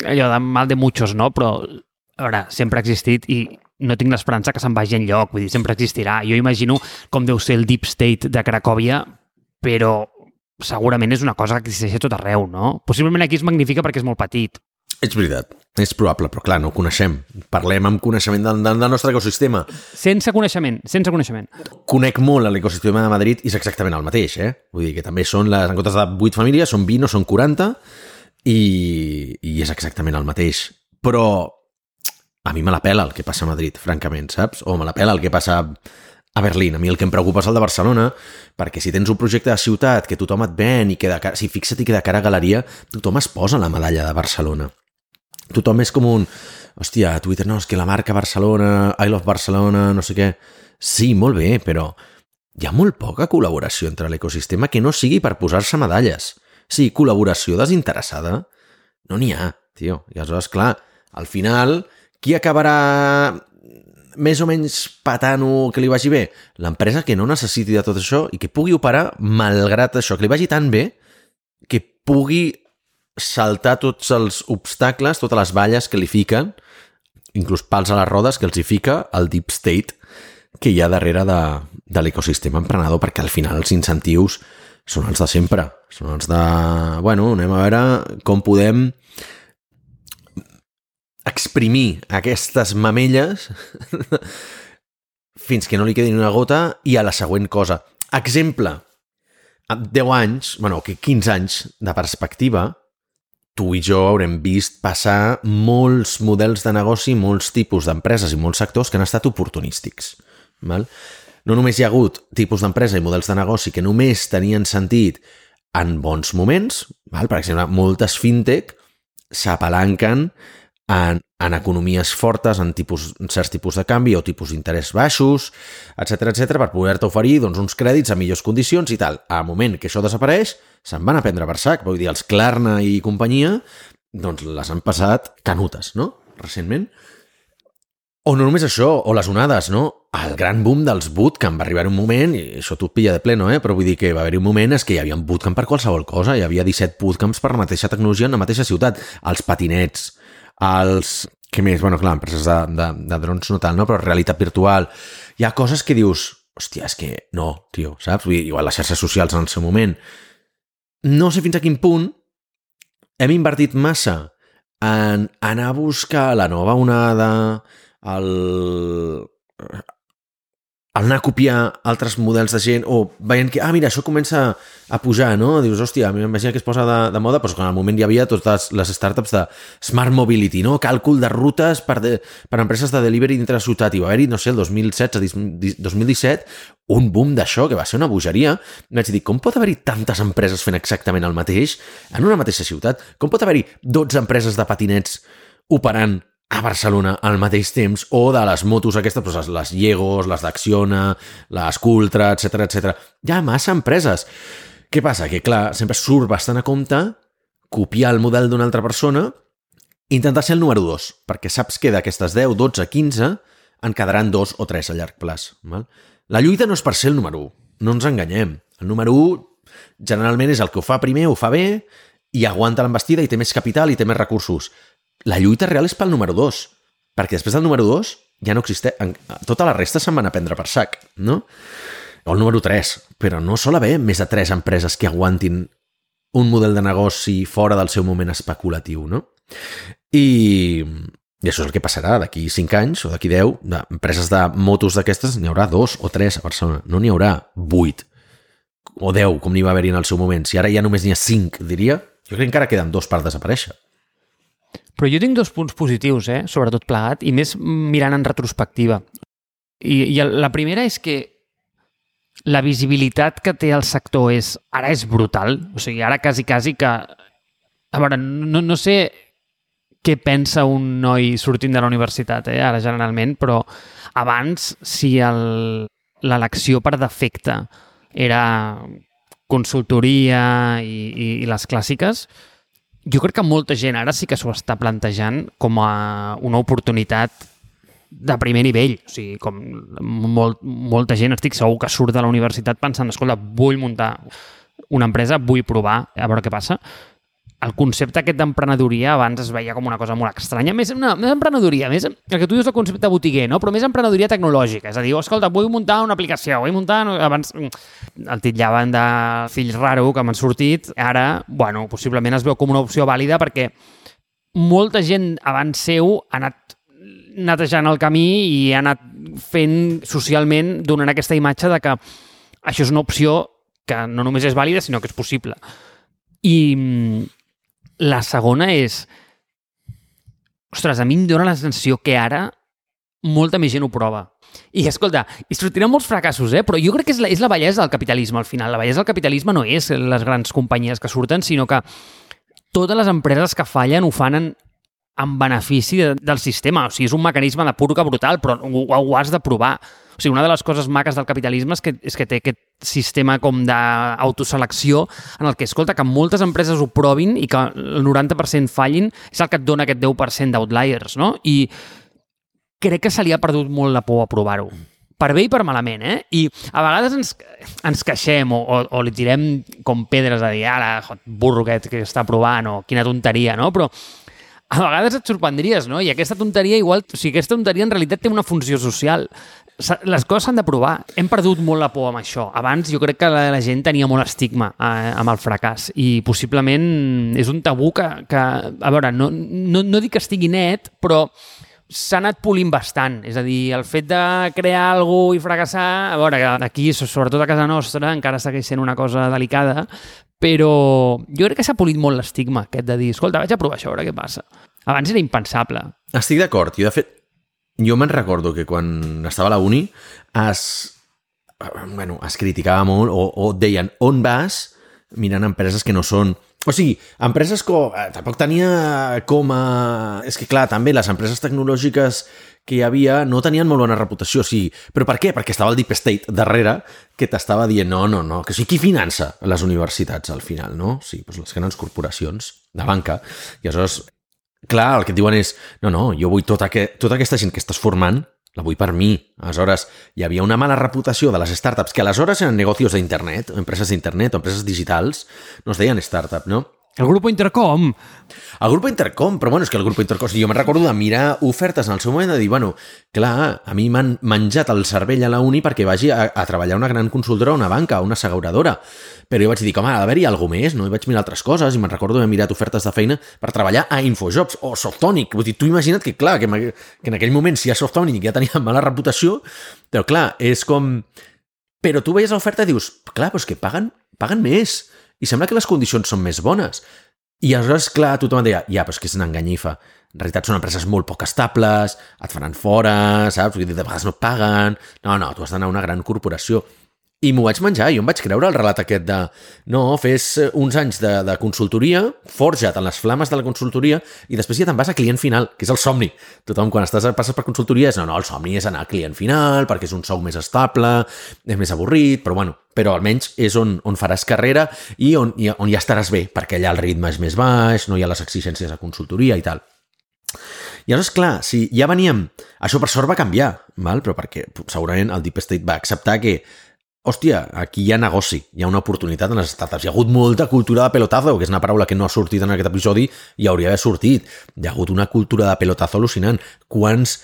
allò de mal de muchos, no? Però, a veure, sempre ha existit i no tinc l'esperança que se'n vagi enlloc, vull dir, sempre existirà. Jo imagino com deu ser el deep state de Cracòvia, però segurament és una cosa que existeix a tot arreu, no? Possiblement aquí es magnifica perquè és molt petit. És veritat, és probable, però clar, no ho coneixem. Parlem amb coneixement del, del nostre ecosistema. Sense coneixement, sense coneixement. Conec molt l'ecosistema de Madrid i és exactament el mateix, eh? Vull dir que també són, les, en comptes de vuit famílies, són vint o són quaranta i, i és exactament el mateix. Però a mi me la pela el que passa a Madrid, francament, saps? O me la pela el que passa a Berlín. A mi el que em preocupa és el de Barcelona, perquè si tens un projecte de ciutat que tothom et ven i que de cara, si fixa't que de cara a galeria, tothom es posa la medalla de Barcelona. Tothom és com un... Hòstia, a Twitter, no, és que la marca Barcelona, I love Barcelona, no sé què... Sí, molt bé, però hi ha molt poca col·laboració entre l'ecosistema que no sigui per posar-se medalles. Sí, col·laboració desinteressada no n'hi ha, tio. I aleshores, clar, al final, qui acabarà més o menys patant-ho que li vagi bé? L'empresa que no necessiti de tot això i que pugui operar malgrat això, que li vagi tan bé que pugui saltar tots els obstacles, totes les valles que li fiquen, inclús pals a les rodes que els hi fica el deep state que hi ha darrere de, de l'ecosistema emprenedor, perquè al final els incentius són els de sempre. Són els de... Bueno, anem a veure com podem exprimir aquestes mamelles fins que no li quedi una gota i a la següent cosa. Exemple, amb deu anys, bueno, quinze anys de perspectiva, tu i jo haurem vist passar molts models de negoci, molts tipus d'empreses i molts sectors que han estat oportunístics. Val? No només hi ha hagut tipus d'empresa i models de negoci que només tenien sentit en bons moments, val? Per exemple, moltes fintech s'apalanquen en, en economies fortes, en, tipus, en certs tipus de canvi o tipus d'interès baixos, etcètera etcètera, per poder-te oferir doncs, uns crèdits a millors condicions i tal. Al moment que això desapareix, se'n van a prendre per sac. Vull dir, els Klarna i companyia doncs les han passat canutes, no? Recentment. O no només això, o les onades, no? El gran boom dels bootcamp va arribar un moment, i això t'ho pilla de pleno, eh? Però vull dir que va haver-hi un moment és que hi havia un bootcamp per qualsevol cosa, hi havia disset bootcamps per la mateixa tecnologia en la mateixa ciutat. Els patinets, els... Què més? Bueno, clar, empreses de, de, de drons no tal, no? Però realitat virtual. Hi ha coses que dius, hòstia, és que no, tio, saps? Vull dir, igual les xarxes socials en el seu moment. No sé fins a quin punt hem invertit massa en anar a buscar la nova onada, el... el anar a copiar altres models de gent o veient que, ah, mira, això comença a pujar, no? Dius, hòstia, m'imagina que es posa de, de moda, però en el moment hi havia totes les startups de Smart Mobility, no? Càlcul de rutes per, de, per empreses de delivery dintre la ciutat. I va haver-hi, no sé, el dos mil setze, dos mil disset, un boom d'això, que va ser una bogeria. I vaig dir, com pot haver-hi tantes empreses fent exactament el mateix en una mateixa ciutat? Com pot haver-hi dotze empreses de patinets operant a Barcelona al mateix temps, o de les motos aquestes, doncs les Llegos, les d'Acciona, les Cultra, etcètera etcètera. Hi ha massa empreses. Què passa? Que, clar, sempre surt bastant a compte copiar el model d'una altra persona i intentar ser el número dos, perquè saps que d'aquestes deu, dotze, quinze en quedaran dos o tres a llarg plaç. Val? La lluita no és per ser el número u, no ens enganyem. El número u generalment és el que ho fa primer, ho fa bé, i aguanta l'embestida i té més capital i té més recursos. La lluita real és pel número dos, perquè després del número dos ja no existeix. Tota la resta se'n van a prendre per sac, no? O el número tres, però no sol haver més de tres empreses que aguantin un model de negoci fora del seu moment especulatiu, no? I, i això és el que passarà d'aquí cinc anys o d'aquí deu, d'empreses de motos d'aquestes n'hi haurà dos o tres a Barcelona, no n'hi haurà vuit o deu, com n'hi va haver-hi en el seu moment. Si ara ja només n'hi ha cinc, diria, jo crec que encara queden dos per desaparèixer. Però jo tinc dos punts positius, eh, sobretot plegat, i més mirant en retrospectiva. I, i la primera és que la visibilitat que té el sector és, ara és brutal. O sigui, ara quasi, quasi que... A veure, no, no sé què pensa un noi sortint de la universitat, eh, ara generalment, però abans, si el, l'elecció per defecte era consultoria i, i, i les clàssiques, jo crec que molta gent ara sí que s'ho està plantejant com a una oportunitat de primer nivell. O sigui, com molt, molta gent, estic segur que surt de la universitat pensant, escolta, vull muntar una empresa, vull provar, a veure què passa. El concepte aquest d'emprenedoria abans es veia com una cosa molt estranya. Més, una, més emprenedoria, més, el que tu dius el concepte botiguer, no? Però més emprenedoria tecnològica. És a dir, oh, escolta, vull muntar una aplicació, vull muntar... Abans el titllaven de fill raro que m'han sortit. Ara, bueno, possiblement es veu com una opció vàlida perquè molta gent abans seu ha anat netejant el camí i ha anat fent socialment, donant aquesta imatge de que això és una opció que no només és vàlida, sinó que és possible. I la segona és... Ostres, a mi em dóna la sensació que ara molta més gent ho prova. I, escolta, i sortiran molts fracassos, eh? Però jo crec que és la, és la bellesa del capitalisme, al final. La bellesa del capitalisme no és les grans companyies que surten, sinó que totes les empreses que fallen ho fan en, en benefici de, del sistema. O sigui, és un mecanisme de purga brutal, però ho, ho has de provar. O sigui, una de les coses maques del capitalisme és que, és que té aquest sistema com d'autoselecció en el que, escolta, que moltes empreses ho provin i que el noranta per cent fallin és el que et dona aquest deu per cent d'outliers, no? I crec que se li ha perdut molt la por a provar-ho. Per bé i per malament, eh? I a vegades ens, ens queixem o, o, o li tirem com pedres a dir, ara, burro aquest que està provant, o quina tonteria, no? Però a vegades et sorprendries, no? I aquesta tonteria igual... O sigui, aquesta tonteria en realitat té una funció social. Les coses s'han de provar. Hem perdut molt la por amb això. Abans jo crec que la, la gent tenia molt estigma eh, amb el fracàs i possiblement és un tabú que, que a veure, no, no, no dic que estigui net, però s'ha anat polint bastant. És a dir, el fet de crear alguna cosa i fracassar, a veure, aquí, sobretot a casa nostra, encara segueix sent una cosa delicada, però jo crec que s'ha polit molt l'estigma aquest de dir, escolta, vaig a provar això, a veure què passa. Abans era impensable. Estic d'acord. Jo, de fet, jo me'n recordo que quan estava a la uni es, bueno, es criticava molt o, o deien on vas mirant empreses que no són... O sigui, empreses que eh, tampoc tenia com a... És que clar, també les empreses tecnològiques que hi havia no tenien molt bona reputació, o sigui, però per què? Perquè estava el Deep State darrere que t'estava dient no, no, no, que o sigui, qui finança les universitats al final, no? Sí, doncs les grans corporacions de banca. I aleshores, clar, el que et diuen és no, no, jo vull tota, que, tota aquesta gent que estàs formant la vull per mi. Aleshores, hi havia una mala reputació de les startups, que aleshores eren negocios d'internet, empreses d'internet o empreses digitals, no es deien startup, no? El Grupo Intercom. El Grupo Intercom, però bueno, és que el Grupo Intercom... Jo me'n recordo de mirar ofertes en el seu moment de dir, bueno, clar, a mi m'han menjat el cervell a la uni perquè vagi a, a treballar a una gran consultora, una banca, una asseguradora. Però jo vaig dir, com ha d'haver-hi alguna més, no? I vaig mirar altres coses i me'n recordo d'haver mirat ofertes de feina per treballar a Infojobs o Softonic. Vull dir, tu imagina't que, clar, que, que en aquell moment si a Softonic ja tenia mala reputació, però clar, és com... Però tu veies l'oferta i dius, clar, però és que paguen, paguen més. I sembla que les condicions són més bones. I aleshores, clar, tothom deia, ja, però és que és una enganyifa. En realitat són empreses molt poc estables, et faran fora, saps? De vegades no et paguen. No, no, tu has d'anar a una gran corporació. I m'ho vaig menjar, jo em vaig creure el relat aquest de no, fes uns anys de, de consultoria, forja't en les flames de la consultoria i després ja te'n vas a client final, que és el somni. Tothom quan estàs, passes per consultoria és no, no, el somni és anar a client final perquè és un sou més estable, és més avorrit, però bueno, però almenys és on, on faràs carrera i on, i on ja estaràs bé, perquè allà el ritme és més baix, no hi ha les exigències de consultoria i tal. I llavors, clar, si ja veníem... Això per sort va canviar, val? Però perquè segurament el Deep State va acceptar que hòstia, aquí hi ha negoci, hi ha una oportunitat en les startups. Hi ha hagut molta cultura de pelotazo, que és una paraula que no ha sortit en aquest episodi i hauria d'haver sortit. Hi ha hagut una cultura de pelotazo al·lucinant. Quants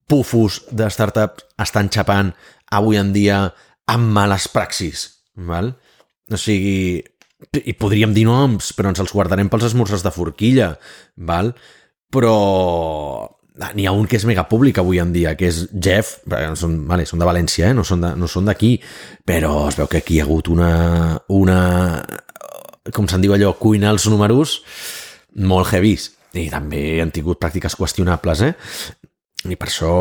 pufos de startups estan xapant avui en dia amb males praxis, val? O sigui, i podríem dir noms, però ens els guardarem pels esmorzars de forquilla, val? Però n'hi ha un que és mega públic avui en dia, que és Jeff, són, vale, són de València, eh? no són de, no són d'aquí, però es veu que aquí hi ha hagut una, una com se'n diu allò, cuina els números molt heavies, i també han tingut pràctiques qüestionables, eh? I per això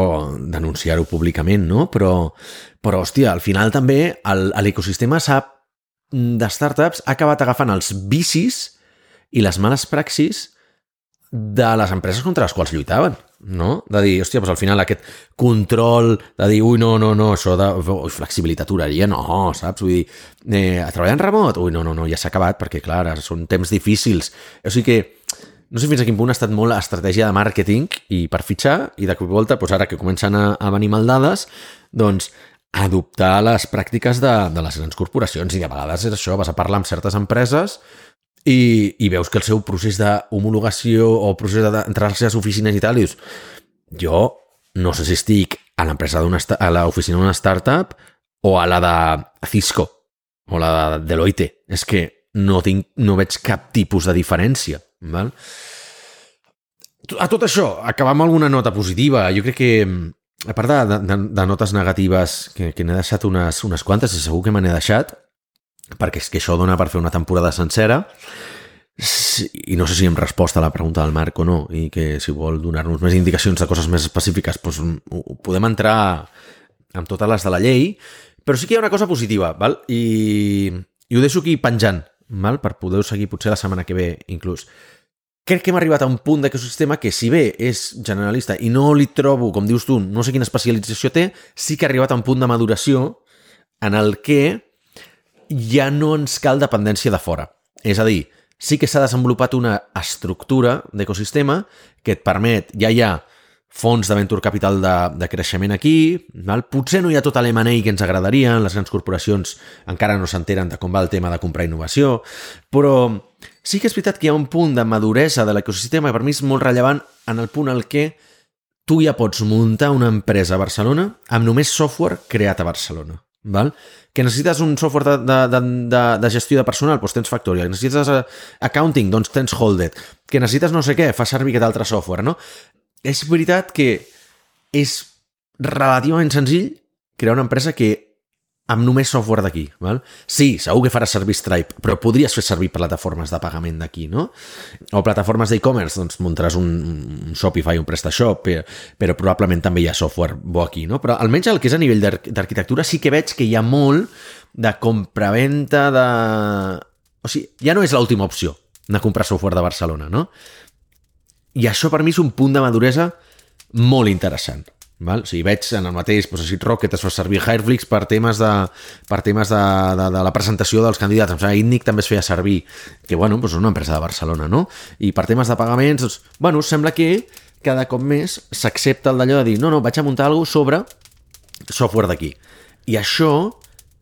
denunciar-ho públicament, no? Però, però hòstia, al final també el, l'ecosistema s'ha, de startups ha acabat agafant els vicis i les males praxis de les empreses contra les quals lluitaven, no? De dir, hòstia, doncs al final aquest control de dir, ui, no, no, no, això de ui, flexibilitat horària, no, saps? Vull dir, eh, a treballar en remot? Ui, no, no, no, ja s'ha acabat perquè, clar, són temps difícils. O sigui que no sé fins a quin punt ha estat molt estratègia de màrqueting i per fitxar, i de cop i volta, doncs ara que comencen a, a venir maldades, doncs adoptar les pràctiques de, de les grans corporacions, i de vegades és això, vas a parlar amb certes empreses i, i veus que el seu procés d'homologació o procés d'entrar a les seves oficines i tal, i dius, jo no sé si estic a l'empresa d'una a l'oficina d'una startup o a la de Cisco o la de Deloitte. És que no, tinc, no veig cap tipus de diferència. Val? A tot això, acabar amb alguna nota positiva. Jo crec que, a part de, de, de notes negatives, que, que n'he deixat unes, unes quantes, i segur que me n'he deixat, perquè és que això dona per fer una temporada sencera, i no sé si en resposta a la pregunta del Marc o no, i que si vol donar-nos més indicacions de coses més específiques, doncs podem entrar amb totes les de la llei, però sí que hi ha una cosa positiva, val? I, i ho deixo aquí penjant, val? Per poder seguir potser la setmana que ve inclús. Crec que hem arribat a un punt d'ecosistema que, si bé és generalista i no li trobo, com dius tu, no sé quina especialització té, sí que ha arribat a un punt de maduració en el que ja no ens cal dependència de fora. És a dir, sí que s'ha desenvolupat una estructura d'ecosistema que et permet, ja hi ha fons de venture capital de, de creixement aquí, val? Potser no hi ha tot l'M and A que ens agradaria, les grans corporacions encara no s'enteren de com va el tema de comprar innovació, però sí que és veritat que hi ha un punt de maduresa de l'ecosistema i per mi és molt rellevant en el punt en què tu ja pots muntar una empresa a Barcelona amb només software creat a Barcelona. Val? Que necessites un software de, de, de, de gestió de personal, doncs tens Factorial. Que necessites accounting, doncs tens Holded. Que necessites no sé què, fa servir aquest altre software, no? És veritat que és relativament senzill crear una empresa que amb només software d'aquí, val? Sí, segur que faràs servir Stripe, però podries fer servir plataformes de pagament d'aquí, no? O plataformes d'e-commerce, doncs muntaràs un, un Shopify, un PrestaShop, però, però probablement també hi ha software bo aquí, no? Però almenys el que és a nivell d'arquitectura sí que veig que hi ha molt de compraventa de... O sigui, ja no és l'última opció de comprar software de Barcelona, no? I això per mi és un punt de maduresa molt interessant. Val? O sigui, veig en el mateix, doncs, així, Rocket es fa servir Hireflix per temes de, per temes de, de, de la presentació dels candidats. Em sembla que Itnic també es feia servir, que bueno, doncs és una empresa de Barcelona, no? I per temes de pagaments, doncs, bueno, sembla que cada cop més s'accepta el d'allò de dir no, no, vaig a muntar alguna cosa sobre software d'aquí. I això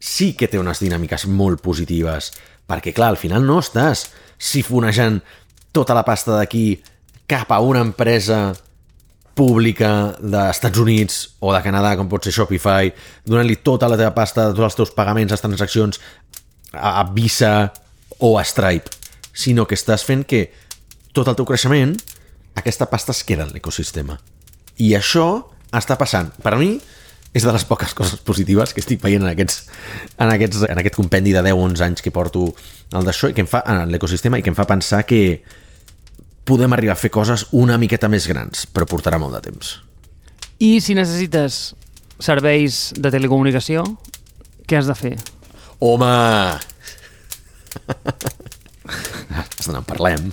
sí que té unes dinàmiques molt positives, perquè clar, al final no estàs sifonejant tota la pasta d'aquí cap a una empresa pública dels Estats Units o de Canadà, com pot ser Shopify, donant-li tota la teva pasta, tots els teus pagaments, les transaccions a Visa o a Stripe, sinó que estàs fent que tot el teu creixement, aquesta pasta es queda en l'ecosistema. I això està passant. Per a mi, és de les poques coses positives que estic veient en, aquests, en, aquests, en aquest compendi de deu onze anys que porto al d'això i que em fa en l'ecosistema i que em fa pensar que podem arribar a fer coses una miqueta més grans, però portarà molt de temps. I si necessites serveis de telecomunicació, què has de fer? Home! Ens en parlem.